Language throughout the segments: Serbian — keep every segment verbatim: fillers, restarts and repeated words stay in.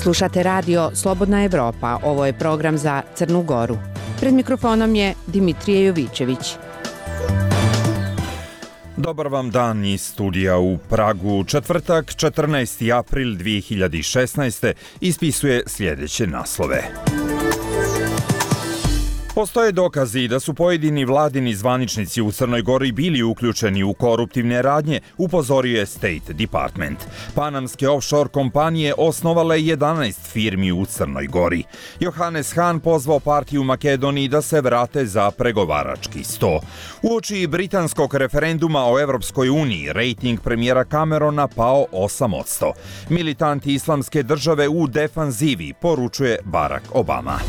Slušate radio Slobodna Evropa, ovo je program za Crnu Goru. Pred mikrofonom je Dimitrije Jovićević. Dobar vam dan iz studija u Pragu. Četvrtak, četrnaesti april dvije hiljade šesnaeste. ispisuje sljedeće naslove. Postoje dokazi da su pojedini vladini zvaničnici u Crnoj Gori bili uključeni u koruptivne radnje, upozorio je State Department. Panamske offshore kompanije osnovale jedanaest firmi u Crnoj Gori. Johannes Hahn pozvao partiju u Makedoniji da se vrate za pregovarački sto. Uoči britanskog referenduma o Evropskoj uniji, rejting premijera Camerona pao osam posto. Militanti islamske države u defanzivi, poručuje Barack Obama.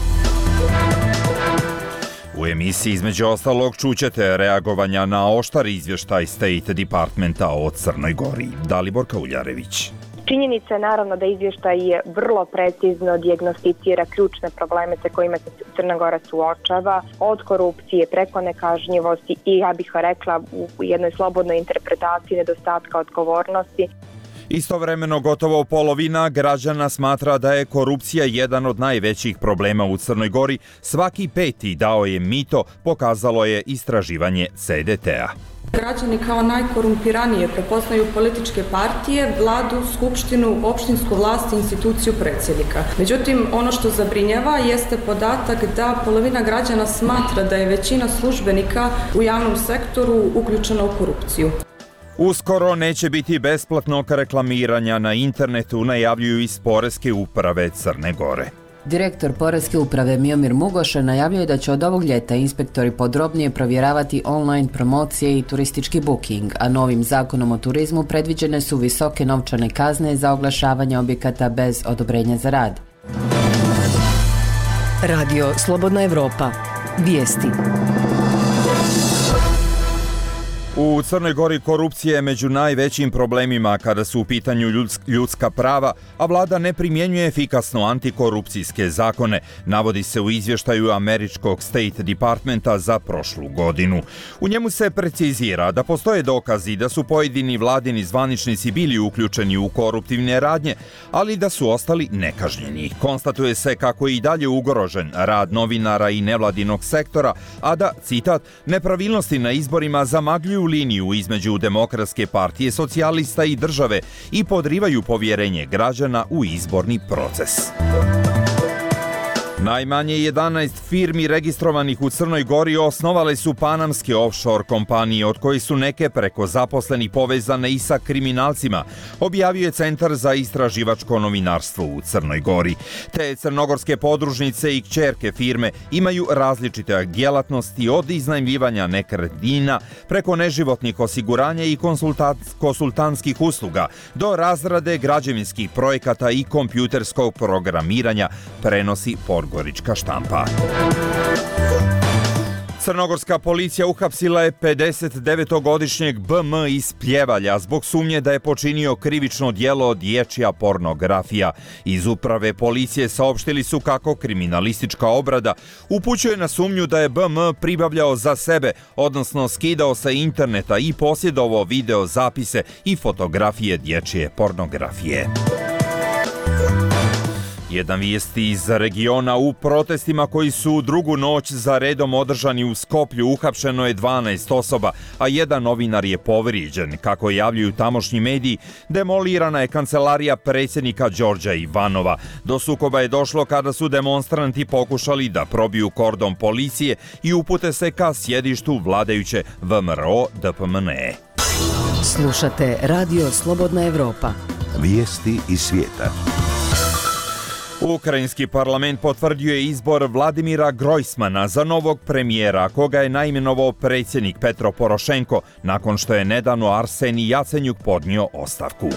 U emisiji između ostalog čućete reagovanja na oštar izvještaj State Departmenta o Crnoj Gori. Dalibor Kauljarević. Činjenica je naravno da izvještaj je vrlo precizno dijagnosticira ključne probleme sa kojima se Crna Gora suočava, od korupcije preko nekažnjivosti i, ja bih rekla, u jednoj slobodnoj interpretaciji nedostatka odgovornosti. Istovremeno gotovo polovina građana smatra da je korupcija jedan od najvećih problema u Crnoj Gori. Svaki peti dao je mito, pokazalo je istraživanje C D T-a. Građani kao najkorumpiranije prepoznaju političke partije, vladu, skupštinu, opštinsku vlast i instituciju predsjednika. Međutim, ono što zabrinjava jeste podatak da polovina građana smatra da je većina službenika u javnom sektoru uključena u korupciju. Uskoro neće biti besplatnog reklamiranja na internetu, najavljuju iz Poreske uprave Crne Gore. Direktor Poreske uprave Miomir Mugoše najavljuje da će od ovog ljeta inspektori podrobnije provjeravati online promocije i turistički booking, a novim zakonom o turizmu predviđene su visoke novčane kazne za oglašavanje objekata bez odobrenja za rad. Radio Slobodna Evropa. Vijesti. U Crnoj Gori korupcija je među najvećim problemima kada su u pitanju ljudska prava, a vlada ne primjenjuje efikasno antikorupcijske zakone, navodi se u izvještaju američkog State Departmenta za prošlu godinu. U njemu se precizira da postoje dokazi da su pojedini vladini zvaničnici bili uključeni u koruptivne radnje, ali da su ostali nekažnjeni. Konstatuje se kako je i dalje ugrožen rad novinara i nevladinog sektora, a da, citat, nepravilnosti na izborima zamagljuju liniju između Demokratske partije socijalista i države i podrivaju povjerenje građana u izborni proces. Najmanje jedanaest firmi registrovanih u Crnoj Gori osnovale su panamske offshore kompanije, od kojih su neke preko zaposlenih povezane i sa kriminalcima, objavio je Centar za istraživačko novinarstvo u Crnoj Gori. Te crnogorske podružnice i kćerke firme imaju različite djelatnosti, od iznajmljivanja nekretnina preko neživotnih osiguranja i konsultantskih usluga do razrade građevinskih projekata i kompjuterskog programiranja, prenosi Podgorička štampa. Crnogorska policija uhapsila je pedesetdevetogodišnjeg B M iz Pljevalja zbog sumnje da je počinio krivično djelo dječja pornografija. Iz uprave policije saopštili su kako kriminalistička obrada upućuje na sumnju da je B M pribavljao za sebe, odnosno skidao sa interneta i posjedovao video zapise i fotografije dječje pornografije. Jedan vijest iz regiona: u protestima koji su drugu noć za redom održani u Skoplju uhapšeno je dvanaest osoba, a jedan novinar je povrijeđen. Kako javljaju tamošnji mediji, demolirana je kancelarija predsjednika Đorđa Ivanova. Do sukoba je došlo kada su demonstranti pokušali da probiju kordon policije i upute se ka sjedištu vladajuće V M R O D P M N E. Slušate Radio Slobodna Evropa. Vijesti iz svijeta. Ukrajinski parlament potvrdio je izbor Vladimira Grojsmana za novog premijera, koga je naimenovao predsjednik Petro Porošenko, nakon što je nedavno Arsenij Jacenjuk podnio ostavku.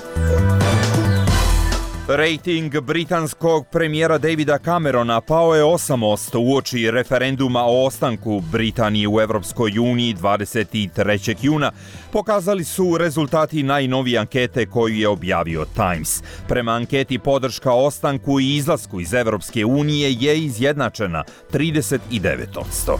Rejting britanskog premijera Davida Camerona pao je osam posto uoči referenduma o ostanku Britanije u Evropskoj uniji dvadeset trećeg juna, pokazali su rezultati najnovije ankete koju je objavio Times. Prema anketi podrška ostanku i izlasku iz Evropske unije je izjednačena trideset devet posto.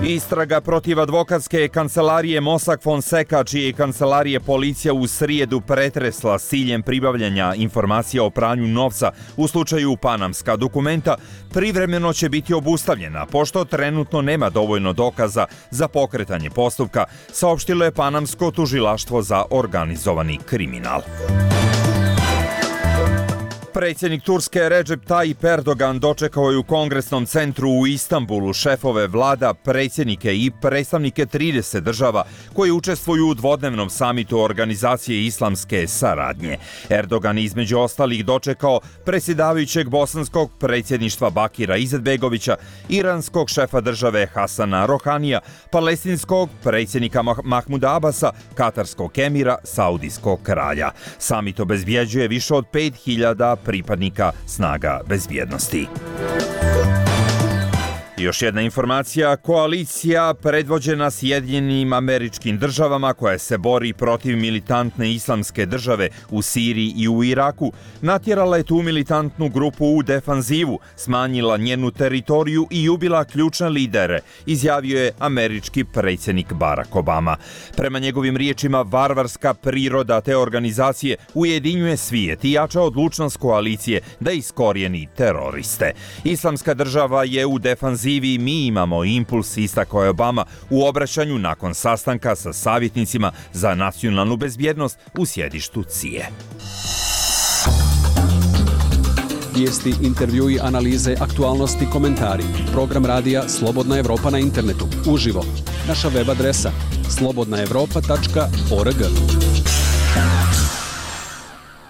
Istraga protiv advokatske kancelarije Mossack Fonseca, čije kancelarije policija u srijedu pretresla s ciljem pribavljanja informacija o pranju novca u slučaju Panamska dokumenta, privremeno će biti obustavljena, pošto trenutno nema dovoljno dokaza za pokretanje postupka, saopštilo je Panamsko tužilaštvo za organizovani kriminal. Predsjednik Turske Recep Tayyip Erdogan dočekao je u Kongresnom centru u Istanbulu šefove vlada, predsjednike i predstavnike trideset država koji učestvuju u dvodnevnom samitu organizacije islamske saradnje. Erdogan između ostalih dočekao predsjedavajućeg bosanskog predsjedništva Bakira Izetbegovića, iranskog šefa države Hasana Rohanija, palestinskog predsjednika Mahmuda Abasa, katarskog emira, saudijskog kralja. Samit obezbjeđuje više od pet hiljada pripadnika snaga bezbjednosti. Još jedna informacija, koalicija predvođena Sjedinjenim Američkim Državama koja se bori protiv militantne islamske države u Siriji i u Iraku, natjerala je tu militantnu grupu u defanzivu, smanjila njenu teritoriju i ubila ključne lidere, izjavio je američki predsjednik Barack Obama. Prema njegovim riječima, varvarska priroda te organizacije ujedinjuje svijet i jača odlučnost koalicije da iskorijeni teroriste. Islamska država je u defanzivi, mi imamo impuls, istakao je Obama u obraćanju nakon sastanka sa savjetnicima za nacionalnu bezbjednost u sjedištu C I E. Vijesti, intervjui, analize, aktualnosti, komentari. Program radija Slobodna Evropa na internetu. Uživo. Naša web adresa slobodna evropa tačka org.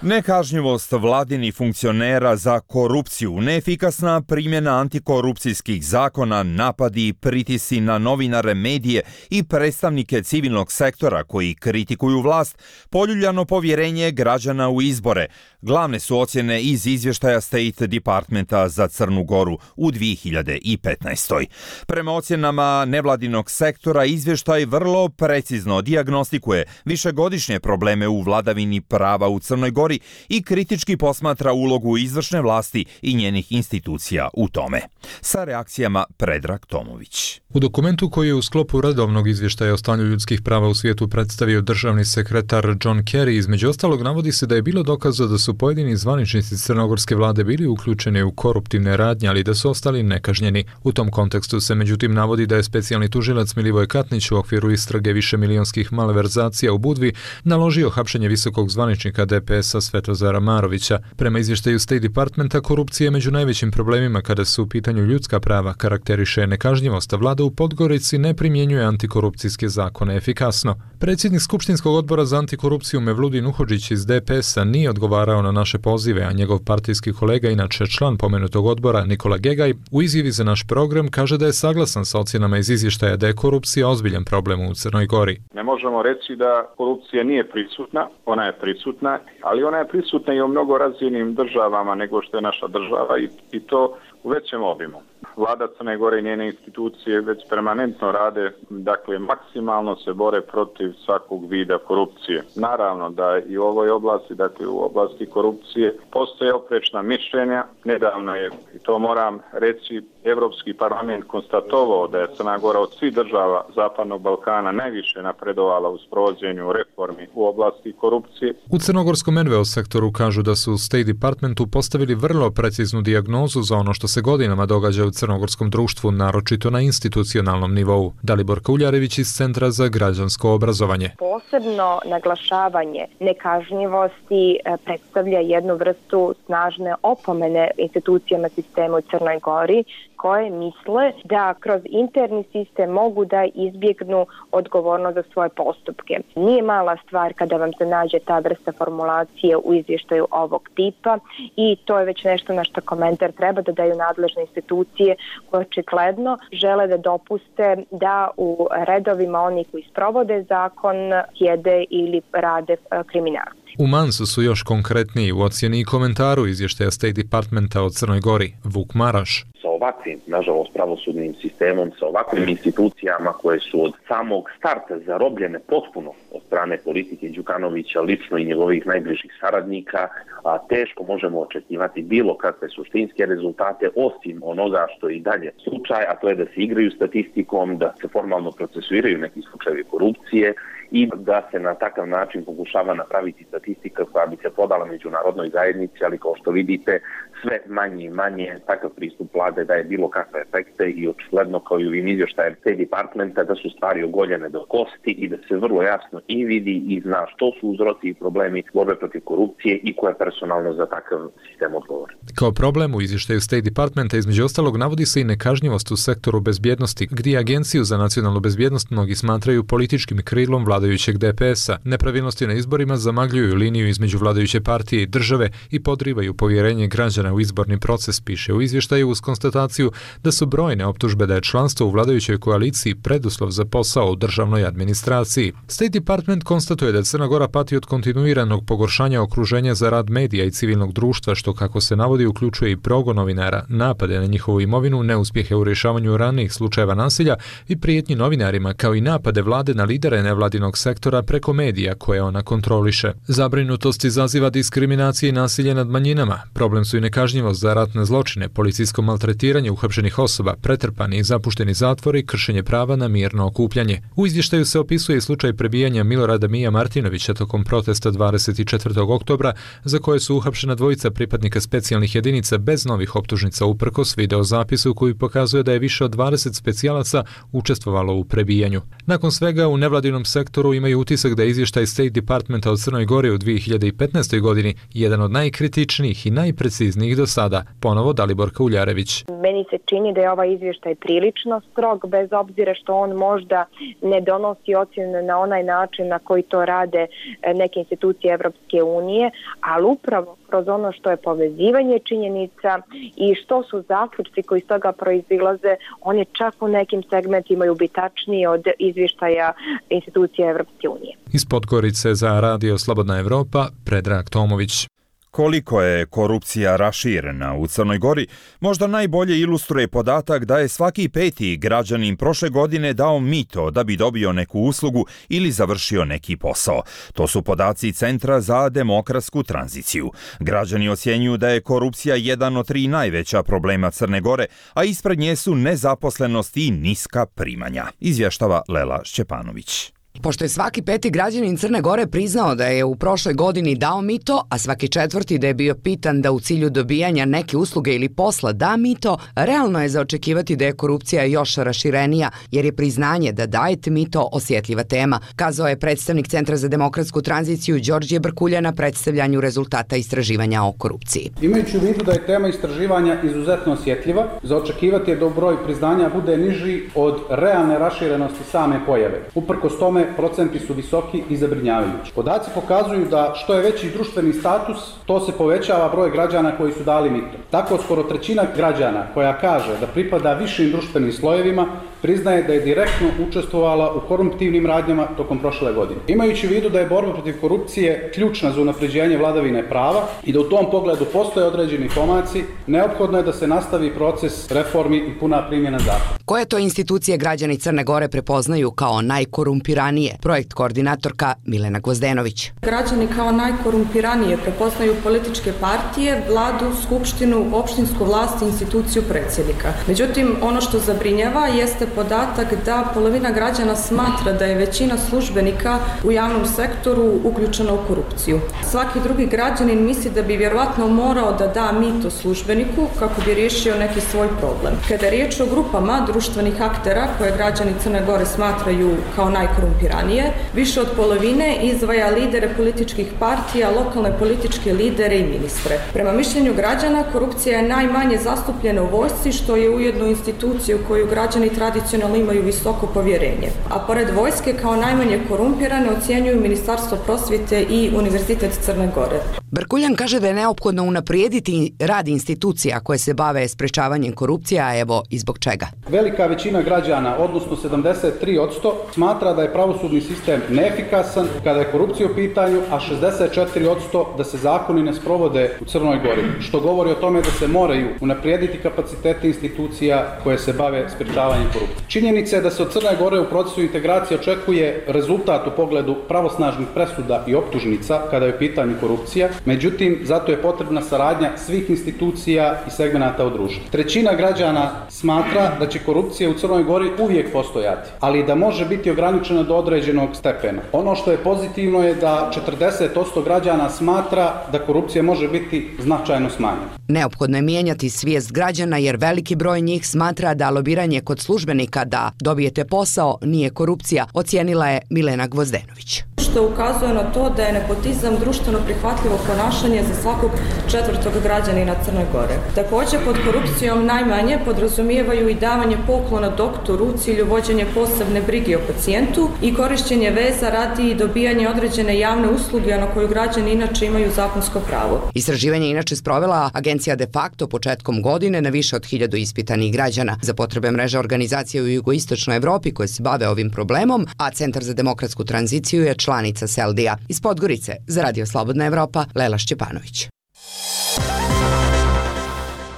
Nekažnjivost vladinih funkcionera za korupciju, neefikasna primjena antikorupcijskih zakona, napadi, pritisci na novinare, medije i predstavnike civilnog sektora koji kritikuju vlast, poljuljano povjerenje građana u izbore. Glavne su ocjene iz izvještaja State Departmenta za Crnu Goru u dvije hiljade petnaestoj. Prema ocjenama nevladinog sektora, izvještaj vrlo precizno dijagnostikuje višegodišnje probleme u vladavini prava u Crnoj Gori i kritički posmatra ulogu izvršne vlasti i njenih institucija u tome. Sa reakcijama Predrag Tomović. U dokumentu koji je u sklopu redovnog izvještaja o stanju ljudskih prava u svijetu predstavio državni sekretar John Kerry, između ostalog navodi se da je bilo dokaza da su pojedini zvaničnici crnogorske vlade bili uključeni u koruptivne radnje, ali da su ostali nekažnjeni. U tom kontekstu se međutim navodi da je specijalni tužilac Milivoj Katnić u okviru istrage višemilijonskih malverzacija u Budvi naložio hapšenje visokog zvaničnika D P S-a Svetozara Marovića. Prema izvještaju State Departmenta, korupcija je među najvećim problemima kada su u pitanju ljudska prava, karakteriše nekažnjivost, a vlada u Podgorici ne primjenjuje antikorupcijske zakone efikasno. Predsjednik Skupštinskog odbora za antikorupciju Mevludin Uhodžić iz D P S-a nije odgovarao na naše pozive, a njegov partijski kolega, inače član pomenutog odbora, Nikola Gegaj, u izjavi za naš program kaže da je saglasan sa ocjenama iz izvještaja da je korupcija ozbiljan problem u Crnoj Gori. Ne možemo reći da korupcija nije prisutna, ona je prisutna, ali ona je prisutna i u mnogo razvijenim državama nego što je naša država i, i to u većem obimu. Vlada Crne Gore i njene institucije već permanentno rade, dakle maksimalno se bore protiv svakog vida korupcije. Naravno da i u ovoj oblasti, dakle u oblasti korupcije, postoje oprečna mišljenja. Nedavno je, i to moram reći, Evropski parlament konstatovao da je Crna Gora od svih država Zapadnog Balkana najviše napredovala u sprovođenju reformi u oblasti korupcije. U crnogorskom N V O sektoru kažu da su u State Departmentu postavili vrlo preciznu dijagnozu za ono što se godinama događa u crnogorskom društvu, naročito na institucionalnom nivou. Dalibor Kuljarević iz Centra za građansko obrazovanje. Posebno naglašavanje nekažnjivosti predstavlja jednu vrstu snažne opomene institucijama sistema u Crnoj Gori, koje misle da kroz interni sistem mogu da izbjegnu odgovornost za svoje postupke. Nije mala stvar kada vam se nađe ta vrsta formulacije u izvještaju ovog tipa i to je već nešto na što komentar treba da daju nadležne institucije koje očigledno žele da dopuste da u redovima oni koji sprovode zakon sjede ili rade kriminalci. U Mansu su još konkretniji u ocjeni i komentaru izvještaja State Departmenta o Crnoj Gori. Vuk Maraš. S ovakvim, nažalost, pravosudnim sistemom, sa ovakvim institucijama koje su od samog starta zarobljene potpuno od strane politike Đukanovića, lično i njegovih najbližih saradnika, a teško možemo očekivati bilo kakve suštinske rezultate osim onoga što je i dalje slučaj, a to je da se igraju statistikom, da se formalno procesuiraju neki slučajevi korupcije i da se na takav način pokušava napraviti statistika koja bi se podala međunarodnoj zajednici, ali kao što vidite sve manje i manje takav pristup vlade daje bilo kakve efekte i očigledno kao i u ovim izvještajem State Departmenta da su stvari ogoljene do kosti i da se vrlo jasno i vidi i zna što su uzroci i problemi borbe protiv korupcije i ko je personalno za takav sistem odgovor. Kao problem u izvještaju State Departmenta između ostalog navodi se i nekažnjivost u sektoru bezbjednosti, gdje Agenciju za nacionalnu bezbjednost mnogi smatraju političkim krilom vladajućeg D P S-a. Nepravilnosti na izborima zamagljuju liniju između vladajuće partije i države i podrivaju povjerenje građana u izborni proces, piše u izvještaju uz konstataciju da su brojne optužbe da je članstvo u vladajućoj koaliciji preduslov za posao u državnoj administraciji. State Department konstatuje da Crna Gora pati od kontinuiranog pogoršanja okruženja za rad medija i civilnog društva, što kako se navodi uključuje i progon novinara, napade na njihovu imovinu, neuspjehe u rješavanju ranijih slučajeva nasilja i prijetnji novinarima, kao i napade vlade na lidere nevladinog sektora preko medija koje ona kontroliše. Zabrinutost izaziva diskriminacije i nasilje nad manjinama. Problem su i nekažnjivost za ratne zločine, policijsko maltretiranje uhapšenih osoba, pretrpani i zapušteni zatvori i kršenje prava na mirno okupljanje. U izvještaju se opisuje i slučaj prebijanja Milorada Mija Martinovića tokom protesta dvadeset četvrtog oktobra, za koje su uhapšena dvojica pripadnika specijalnih jedinica bez novih optužnica uprkos videozapisu koji pokazuje da je više od dvadeset specijalaca učestvovalo u prebijanju. Nakon svega, u nevladinom sektoru imaju utisak da je izvještaj State Departmenta od Crnoj Gori u dvije hiljade petnaestoj. godini jedan od najkritičnijih i najpreciznijih do sada. Ponovo Dalibor Kauljarević. Meni se čini da je ovaj izvještaj prilično strog, bez obzira što on možda ne donosi ocjene na onaj način na koji to rade neke institucije Evropske unije, ali upravo kroz ono što je povezivanje činjenica i što su zaključci koji iz toga proizilaze, oni čak u nekim segmentima imaju ubitačniji od izvještaja institucije Evropske unije. Iz Podgorice za Radio Slobodna Evropa, Predrag Tomović. Koliko je korupcija raširena u Crnoj Gori, možda najbolje ilustruje podatak da je svaki peti građanin prošle godine dao mito da bi dobio neku uslugu ili završio neki posao. To su podaci Centra za demokratsku tranziciju. Građani ocjenjuju da je korupcija jedan od tri najveća problema Crne Gore, a ispred nje su nezaposlenost i niska primanja, izvještava Lela Šćepanović. Pošto je svaki peti građanin Crne Gore priznao da je u prošloj godini dao mito, a svaki četvrti da je bio pitan da u cilju dobijanja neke usluge ili posla da mito, realno je za očekivati da je korupcija još raširenija, jer je priznanje da dajete mito osjetljiva tema, kazao je predstavnik Centra za demokratsku tranziciju Đorđe Brkulja na predstavljanju rezultata istraživanja o korupciji. Imajući u vidu da je tema istraživanja izuzetno osjetljiva, za očekivati je da broj priznanja bude niži od realne raširenosti same pojave. Uprkos tome, procenti su visoki i zabrinjavajući. Podaci pokazuju da što je veći društveni status, to se povećava broj građana koji su dali mito. Tako skoro trećina građana koja kaže da pripada višim društvenim slojevima priznaje da je direktno učestvovala u koruptivnim radnjama tokom prošle godine. Imajući u vidu da je borba protiv korupcije ključna za unapređenje vladavine prava i da u tom pogledu postoje određeni pomaci, neophodno je da se nastavi proces reformi i puna primjena zakona. Koje to institucije građani Crne Gore prepoznaju kao najkorumpiranije? Projekt koordinatorka Milena Gvozdenović. Građani kao najkorumpiranije prepoznaju političke partije, vladu, skupštinu, opštinsku vlast i instituciju predsjednika. Međutim, ono što zabrinjava jeste podatak da polovina građana smatra da je većina službenika u javnom sektoru uključena u korupciju. Svaki drugi građanin misli da bi vjerovatno morao da da mito službeniku kako bi riješio neki svoj problem. Kada je riječ o grupama društvenih aktera koje građani Crne Gore smatraju kao najkorumpiranije, više od polovine izdvaja lidere političkih partija, lokalne političke lidere i ministre. Prema mišljenju građana, korupcija je najmanje zastupljena u vojsci, što je ujedno institucija u koju građani tradicionalno imaju visoko povjerenje. A pored vojske, kao najmanje korumpirane ocjenjuju Ministarstvo prosvjete i Univerzitet Crne Gore. Brkuljan kaže da je neophodno unaprijediti rad institucija koje se bave sprečavanjem korupcije, a evo i zbog čega. Velika većina građana, odnosno sedamdeset tri posto, smatra da je pravosuđe pravosudni sistem neefikasan kada je korupcija u pitanju, a šezdeset četiri posto da se zakoni ne sprovode u Crnoj Gori, što govori o tome da se moraju unaprijediti kapaciteti institucija koje se bave sprječavanjem korupcije. Činjenica je da se od Crne Gore u procesu integracije očekuje rezultat u pogledu pravosnažnih presuda i optužnica kada je u pitanju korupcija, međutim, zato je potrebna saradnja svih institucija i segmenata u društvu. Trećina građana smatra da će korupcija u Crnoj Gori uvijek postojati, ali da može biti ograničena do određenog stepena. Ono što je pozitivno je da četrdeset posto građana smatra da korupcija može biti značajno smanjena. Neophodno je mijenjati svijest građana jer veliki broj njih smatra da lobiranje kod službenika da dobijete posao nije korupcija, ocijenila je Milena Gvozdenović. Što ukazuje na to da je nepotizam društveno prihvatljivo ponašanje za svakog četvrtog građanina Crne Gore. Također pod korupcijom najmanje podrazumijevaju i davanje poklona doktoru u cilju vođenja posebne brige o pacijentu i korišćenje veza radi dobijanje određene javne usluge na koju građani inače imaju zakonsko pravo. Istraživanje inače sprovela agencija De Facto početkom godine na više od hiljadu ispitanih građana za potrebe mreže organizacije u jugoistočnoj Evropi koje se bave ovim problemom, a Centar za demokratsku tranziciju je članica Seldija. Iz Podgorice za Radio Slobodna Evropa, Lela Šćepanović.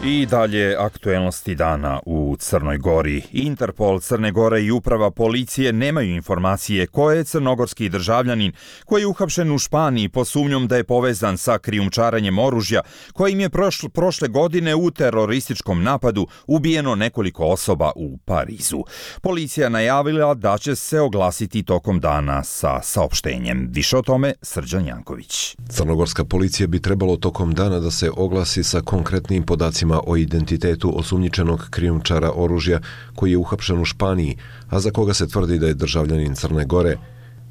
I dalje aktuelnosti dana u Crnoj Gori. Interpol Crne Gore i uprava policije nemaju informacije ko je crnogorski državljanin koji je uhapšen u Španiji po sumnjom da je povezan sa krijumčarenjem oružja kojim je prošle, prošle godine u terorističkom napadu ubijeno nekoliko osoba u Parizu. Policija najavila da će se oglasiti tokom dana sa saopštenjem. Više o tome Srđan Janković. Crnogorska policija bi trebalo tokom dana da se oglasi sa konkretnim podacima o identitetu osumnjičenog krijumčara oružja koji je uhapšen u Španiji, a za koga se tvrdi da je državljanin Crne Gore.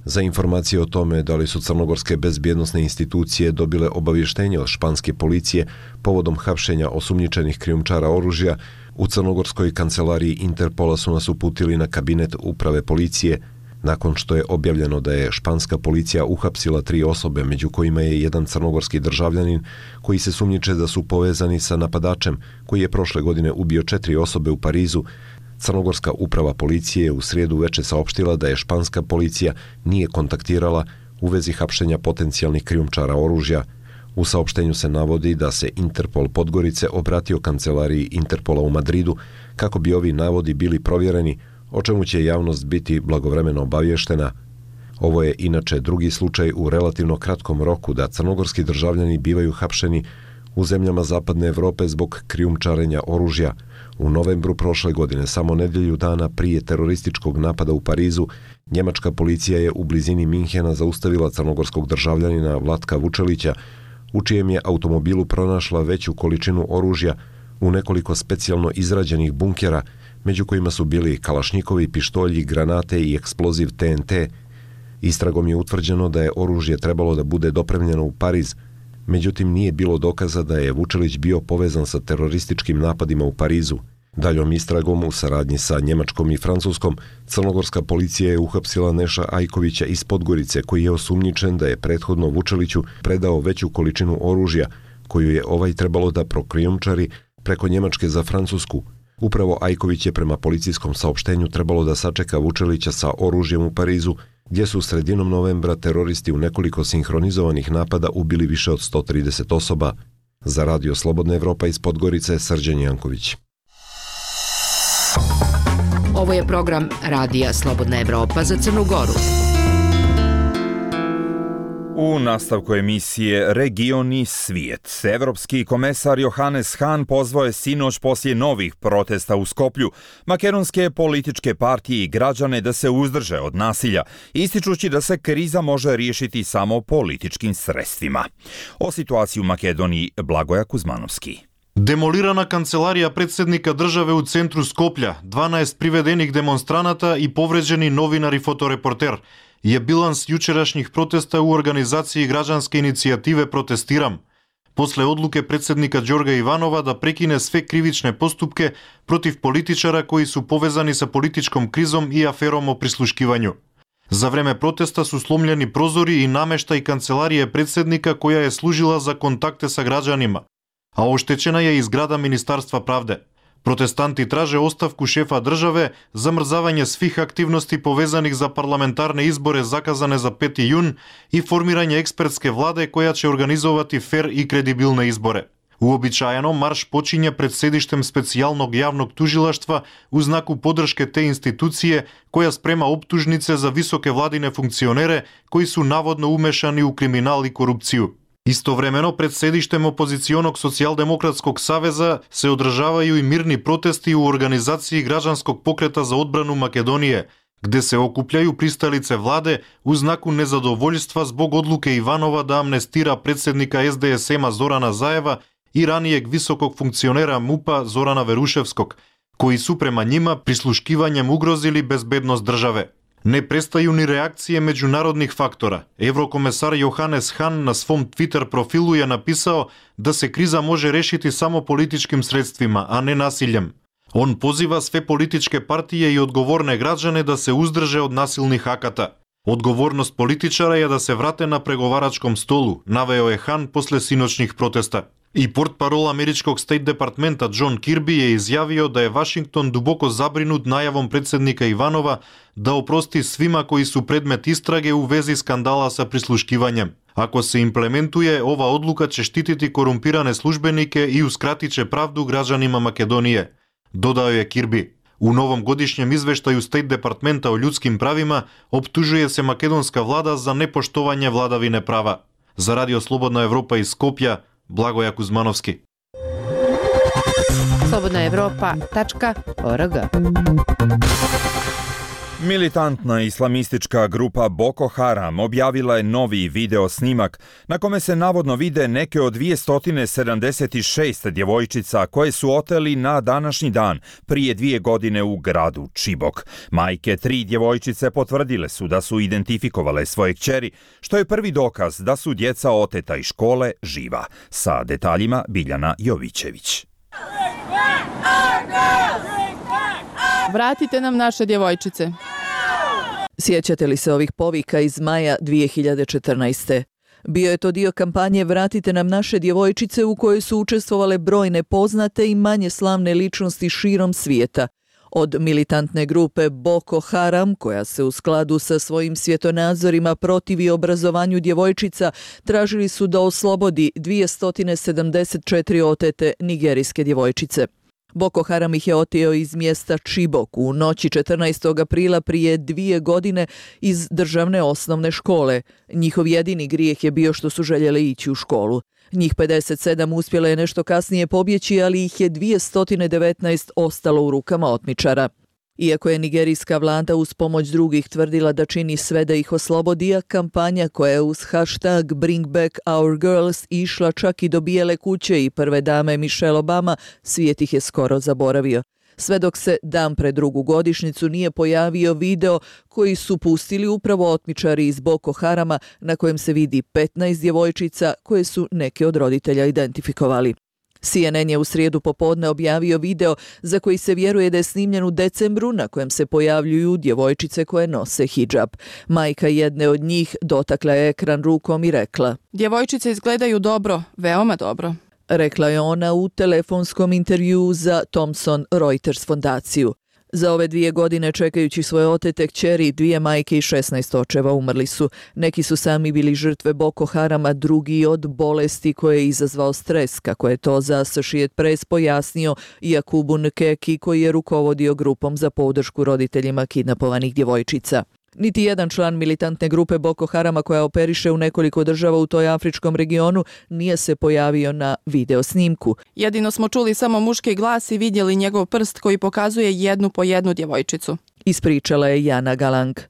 Za informacije o tome da li su crnogorske bezbjednosne institucije dobile obavještenje od španske policije povodom hapšenja osumnjičenih krijumčara oružja, u crnogorskoj kancelariji Interpola su nas uputili na kabinet uprave policije, nakon što je objavljeno da je španska policija uhapsila tri osobe, među kojima je jedan crnogorski državljanin koji se sumnjiče da su povezani sa napadačem koji je prošle godine ubio četiri osobe u Parizu. Crnogorska uprava policije je u srijedu veče saopštila da je španska policija nije kontaktirala u vezi hapšenja potencijalnih krijumčara oružja. U saopštenju se navodi da se Interpol Podgorice obratio kancelariji Interpola u Madridu kako bi ovi navodi bili provjereni, o čemu će javnost biti blagovremeno obavještena. Ovo je inače drugi slučaj u relativno kratkom roku da crnogorski državljani bivaju hapšeni u zemljama Zapadne Evrope zbog krijumčarenja oružja. U novembru prošle godine, samo nedjelju dana prije terorističkog napada u Parizu, njemačka policija je u blizini Minhena zaustavila crnogorskog državljanina Vlatka Vučelića, u čijem je automobilu pronašla veću količinu oružja u nekoliko specijalno izrađenih bunkera, među kojima su bili kalašnjikovi, pištolji, granate i eksploziv T N T. Istragom je utvrđeno da je oružje trebalo da bude dopremljeno u Pariz, međutim nije bilo dokaza da je Vučelić bio povezan sa terorističkim napadima u Parizu. Daljom istragom u saradnji sa Njemačkom i Francuskom, crnogorska policija je uhapsila Neša Ajkovića iz Podgorice, koji je osumnjičen da je prethodno Vučeliću predao veću količinu oružja, koju je ovaj trebalo da prokrijumčari preko Njemačke za Francusku. Upravo Ajković je prema policijskom saopštenju trebalo da sačeka Vučelića sa oružjem u Parizu, gdje su sredinom novembra teroristi u nekoliko sinhronizovanih napada ubili više od sto trideset osoba. Za Radio Slobodna Evropa iz Podgorice, Srđan Janković. Ovo je program Radija Slobodna Evropa za Crnu Goru. U nastavku emisije Region i svijet, evropski komesar Johannes Hahn pozvao je sinoć poslije novih protesta u Skoplju makedonske političke partije i građane da se uzdrže od nasilja, ističući da se kriza može riješiti samo političkim sredstvima. O situaciji u Makedoniji Blagoja Kuzmanovski. Демолирана канцеларија председника државе у центру Скопља, дванаесет приведених демонстраната и повреđени новинар и фоторепортер je bilans jučerašnjih protesta u organizaciji građanske inicijative Protestiram, posle odluke predsednika Đorga Ivanova da prekine sve krivične postupke protiv političara koji su povezani sa političkom krizom i aferom o prisluškivanju. За време протеста су сломljeni прозори и намештај канцеларија председника која е служила за контакте са граđanima, a oštećena je i zgrada Ministarstva pravde. Протестанти траже оставку шефа државе, замрзавање свих активности повезаних за парламентарни избори заказане за пети јун и формирање експертске владе која ќе организовати фер и кредибилни избори. Уобичаено, марш почиња пред седиштем специјалnog јавnog тужилаштва у знаку подршке те институције која спрема оптужнице за високе владине функционере кои су наводно умешани у криминал и корупцију. Истовремено, пред седиштем опозиционог Социјалдемократског савеза се одржавају и мирни протести у организацији Граđанског покрета за одбрану Македонија, где се окупљају присталице владе у знаку незадоволјства због одлуке Иванова да амнестира председника Ес Де Ес Ема Зорана Заева и ранијег високог функционера МУПа Зорана Верушевског, кои су према нима прислушкивањем угрозили безбедност државе. Не престају ни реакcije меѓународних фактора. Еврокомесар Јоханес Хан на свом Твитер профилу ја написао да се криза може решити само политичким средствима, а не насилjem. Он позива све политичке партии и одговорне граđane да се уздрже од насилни аката. Одговорност политичара е да се врате на преговарачком столу, навео е Хан после синочних протеста. И портпарол Америчког стейт департмента Џон Кирби е изјавио да е Вашингтон дубоко забринут најавом председника Иванова да опрости свима кои су предмет истраге у вези скандала са прислушкивањем. Ако се имплементуе, ова одлука ќе штитити корумпиране службенике и ускратиче правду граđанима Македонije, додао е Кирби. У новом годишњем извештају Стейт департмента о људским правима оптужуе се македонска влада за непоштовање владавине права. За Радио Слободна Европа из Скопје, Благоја Кузмановски. Slobodna Evropa tačka org. Militantna islamistička grupa Boko Haram objavila je novi video snimak na kome se navodno vide neke od dvjesto sedamdeset šest djevojčica koje su oteli na današnji dan prije dvije godine u gradu Čibok. Majke tri djevojčice potvrdile su da su identifikovale svoje kćeri, što je prvi dokaz da su djeca oteta iz škole živa. Sa detaljima Biljana Jovićević. Vratite nam naše djevojčice. Sjećate li se ovih povika iz maja dvije hiljade četrnaeste. Bio je to dio kampanje Vratite nam naše djevojčice u kojoj su učestvovale brojne poznate i manje slavne ličnosti širom svijeta. Od militantne grupe Boko Haram, koja se u skladu sa svojim svjetonazorima protivi obrazovanju djevojčica, tražili su da oslobodi dvjesto sedamdeset četiri otete nigerijske djevojčice. Boko Haram ih je oteo iz mjesta Čibok u noći četrnaestog aprila prije dvije godine iz državne osnovne škole. Njihov jedini grijeh je bio što su željeli ići u školu. Njih pedeset sedam uspjela je nešto kasnije pobjeći, ali ih je dvjesto devetnaest ostalo u rukama otmičara. Iako je nigerijska vlada uz pomoć drugih tvrdila da čini sve da ih oslobodi, a kampanja koja je uz hashtag Bring Back Our Girls išla čak i do Bijele kuće i prve dame Michelle Obama, svijet ih je skoro zaboravio. Sve dok se dan pred drugu godišnjicu nije pojavio video koji su pustili upravo otmičari iz Boko Harama, na kojem se vidi petnaest djevojčica koje su neke od roditelja identifikovali. C N N je u srijedu popodne objavio video za koji se vjeruje da je snimljen u decembru, na kojem se pojavljuju djevojčice koje nose hidžab. Majka jedne od njih dotakla je ekran rukom i rekla: Djevojčice izgledaju dobro, veoma dobro. Rekla je ona u telefonskom intervjuu za Thomson Reuters fondaciju. Za ove dvije godine čekajući svoje otete kćeri, dvije majke i šesnaest očeva umrli su. Neki su sami bili žrtve Boko Harama, drugi od bolesti koje je izazvao stres, kako je to za Associated Press pojasnio Jakubu Nkeki, koji je rukovodio grupom za podršku roditeljima kidnapovanih djevojčica. Niti jedan član militantne grupe Boko Harama koja operiše u nekoliko država u toj afričkom regionu nije se pojavio na video snimku. Jedino smo čuli samo muški glas i vidjeli njegov prst koji pokazuje jednu po jednu djevojčicu. Ispričala je Jana Galang.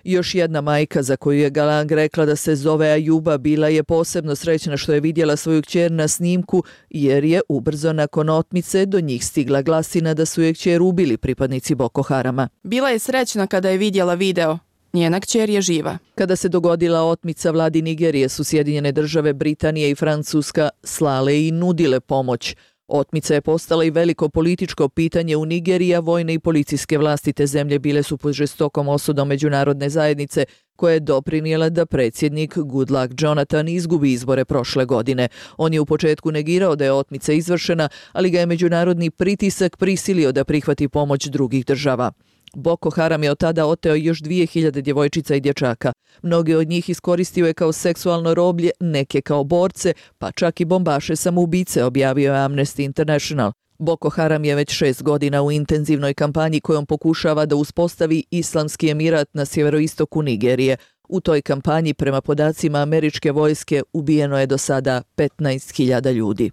Još jedna majka za koju je Galang rekla da se zove Ajuba bila je posebno srećna što je vidjela svoju kćer na snimku, jer je ubrzo nakon otmice do njih stigla glasina da su je kćer ubili pripadnici Boko Harama. Bila je srećna kada je vidjela video. Njena kćer je živa. Kada se dogodila otmica, vladi Nigerije su Sjedinjene države, Britanije i Francuska slale i nudile pomoć. Otmica je postala i veliko političko pitanje u Nigeriji, a vojne i policijske vlasti te zemlje bile su pod žestokom osudom međunarodne zajednice, koja je doprinijela da predsjednik Goodluck Jonathan izgubi izbore prošle godine. On je u početku negirao da je otmica izvršena, ali ga je međunarodni pritisak prisilio da prihvati pomoć drugih država. Boko Haram je od tada oteo još dvije hiljade djevojčica i dječaka. Mnoge od njih iskoristio je kao seksualno roblje, neke kao borce, pa čak i bombaše samoubice, objavio je Amnesty International. Boko Haram je već šest godina u intenzivnoj kampanji kojom pokušava da uspostavi islamski emirat na sjeveroistoku Nigerije. U toj kampanji, prema podacima američke vojske, ubijeno je do sada petnaest hiljada ljudi.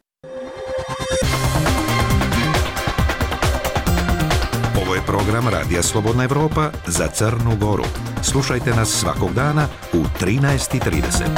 Ovo je program Radija Slobodna Evropa za Crnu Goru. Slušajte nas svakog dana u trinaest i trideset.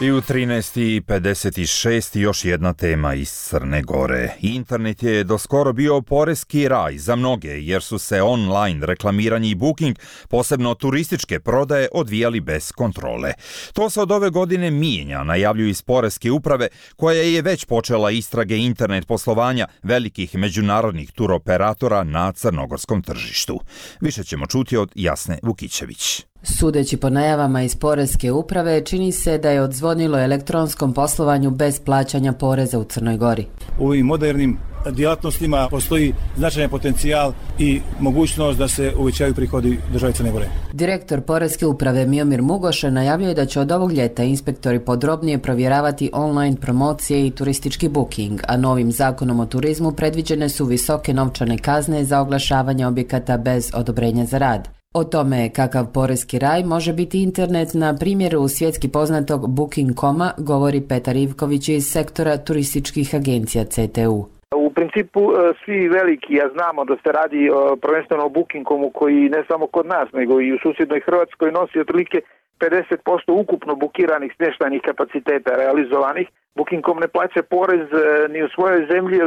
I u trinaest i pedeset šest još jedna tema iz Crne Gore. Internet je doskoro bio poreski raj za mnoge, jer su se online reklamiranje i booking, posebno turističke prodaje, odvijali bez kontrole. To se od ove godine mijenja, najavljuju iz poreske uprave, koja je već počela istrage internet poslovanja velikih međunarodnih turoperatora na crnogorskom tržištu. Više ćemo čuti od Jasne Vukićević. Sudeći po najavama iz poreske uprave, čini se da je odzvonilo elektronskom poslovanju bez plaćanja poreza u Crnoj Gori. U ovim modernim djelatnostima postoji značajan potencijal i mogućnost da se uvećaju prihodi države Crne Gore. Direktor poreske uprave Miomir Mugoša najavljuje da će od ovog ljeta inspektori podrobnije provjeravati online promocije i turistički booking, a novim zakonom o turizmu predviđene su visoke novčane kazne za oglašavanje objekata bez odobrenja za rad. O tome kakav poreski raj može biti internet na primjeru svjetski poznatog booking dot com-a govori Petar Ivković iz sektora turističkih agencija C T U. U principu svi veliki, ja znamo da se radi prvenstveno o booking dot com-u koji ne samo kod nas nego i u susjednoj Hrvatskoj nosi otprilike pedeset posto ukupno bukiranih smještajnih kapaciteta realizovanih. booking dot com ne plaća porez ni u svojoj zemlji,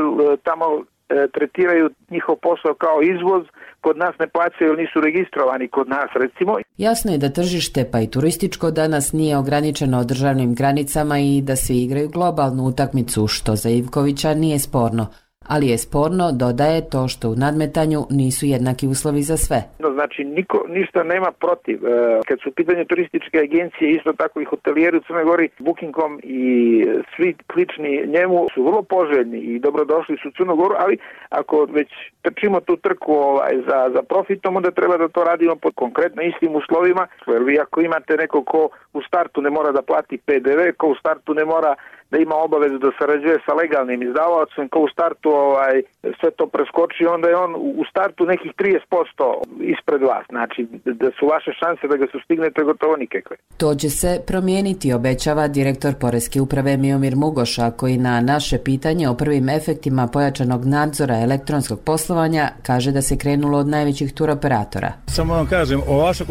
tamo tretiraju njihov posao kao izvoz, kod nas ne plaćaju jer nisu registrovani kod nas recimo. Jasno je da tržište pa i turističko danas nije ograničeno državnim granicama i da svi igraju globalnu utakmicu, što za Ivkovića nije sporno. Ali je sporno, dodaje, to što u nadmetanju nisu jednaki uslovi za sve. Znači, niko ništa nema protiv. Kad su u pitanju turističke agencije, isto tako i hotelijeri u Crnoj Gori, booking dot com i svi slični njemu su vrlo poželjni i dobrodošli su u Crnu Goru, ali ako već trčimo tu trku ovaj, za, za profitom, onda treba da to radimo pod konkretno istim uslovima. Jer vi ako imate neko ko u startu ne mora da plati P D V, ko u startu ne mora da ima obavezu da sarađuje sa legalnim izdavaocem, ko u startu ovaj, sve to preskoči, onda je on u startu nekih trideset posto ispred vas. Znači da su vaše šanse da ga sustignete gotovo nikakve. To će se promijeniti, obećava direktor poreske uprave Miomir Mugoša, koji na naše pitanje o prvim efektima pojačanog nadzora elektronskog poslovanja kaže da se krenulo od najvećih turoperatora. Samo vam kažem, ova vaša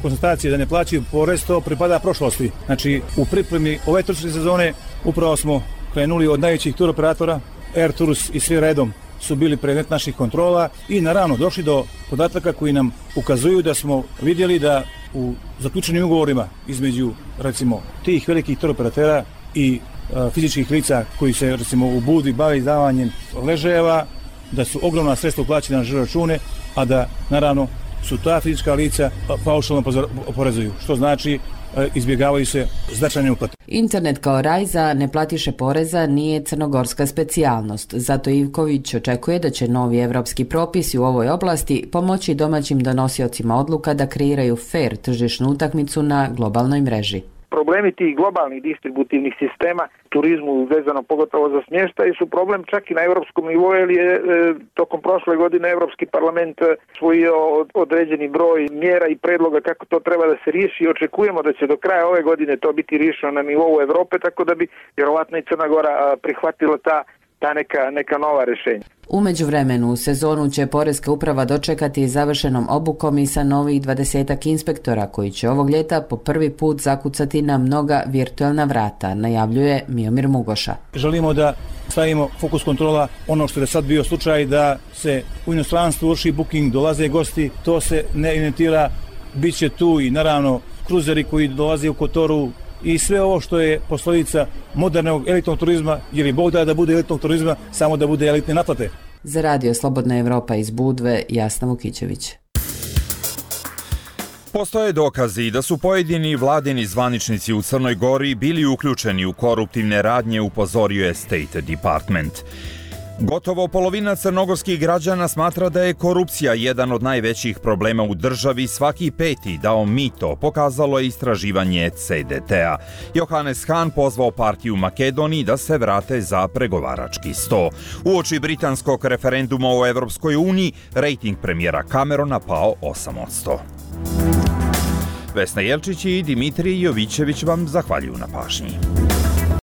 konstatacija da ne plaćaju porez, to pripada prošlosti. Znači u pripremi ove turističke sezone upravo smo krenuli od najvećih turoperatora, Air Tours i svi redom su bili predmet naših kontrola i naravno došli do podataka koji nam ukazuju da smo vidjeli da u zaključenim ugovorima između recimo tih velikih turoperatera i a, fizičkih lica koji se recimo u Budvi bave izdavanjem ležajeva, da su ogromna sredstva uplaćena na žiro račune, a da naravno su ta fizička lica paušalno oporezuju, što znači izbjegavaju se značajne uplate. Internet kao raj za neplatiše poreza nije crnogorska specijalnost. Zato Ivković očekuje da će novi evropski propisi u ovoj oblasti pomoći domaćim donosiocima odluka da kreiraju fair tržišnu utakmicu na globalnoj mreži. Problemi tih globalnih distributivnih sistema turizmu vezano pogotovo za smještaj su problem čak i na europskom nivou, jer je e, tokom prošle godine Evropski parlament usvojio određeni broj mjera i predloga kako to treba da se riješi. Očekujemo da će do kraja ove godine to biti riješeno na nivou Evrope, tako da bi vjerovatno i Crna Gora prihvatila ta ta neka, neka nova rješenja. U međuvremenu u sezonu će poreska uprava dočekati završenom obukom i sa novih dvadesetak inspektora koji će ovog ljeta po prvi put zakucati na mnoga virtualna vrata, najavljuje Miomir Mugoša. Želimo da stavimo fokus kontrola ono što je sad bio slučaj da se u inostranstvu vrši booking, dolaze gosti, to se ne inventira, bit će tu i naravno kruzeri koji dolaze u Kotoru, i sve ovo što je posljedica modernog elitnog turizma, jer i Bog da da bude elitnog turizma, samo da bude elitne naplate. Za Radio Slobodna Evropa iz Budve, Jasna Vukićević. Postoje dokazi da su pojedini vladini zvaničnici u Crnoj Gori bili uključeni u koruptivne radnje, upozorio je State Department. Gotovo polovina crnogorskih građana smatra da je korupcija jedan od najvećih problema u državi. Svaki peti dao mito, pokazalo je istraživanje C D T-a. Johannes Hahn pozvao partiju Makedoniji da se vrate za pregovarački sto. Uoči britanskog referenduma o Evropskoj uniji, rejting premijera Camerona pao osam posto. Vesna Jelčić i Dimitrij Jovićević vam zahvaljuju na pažnji.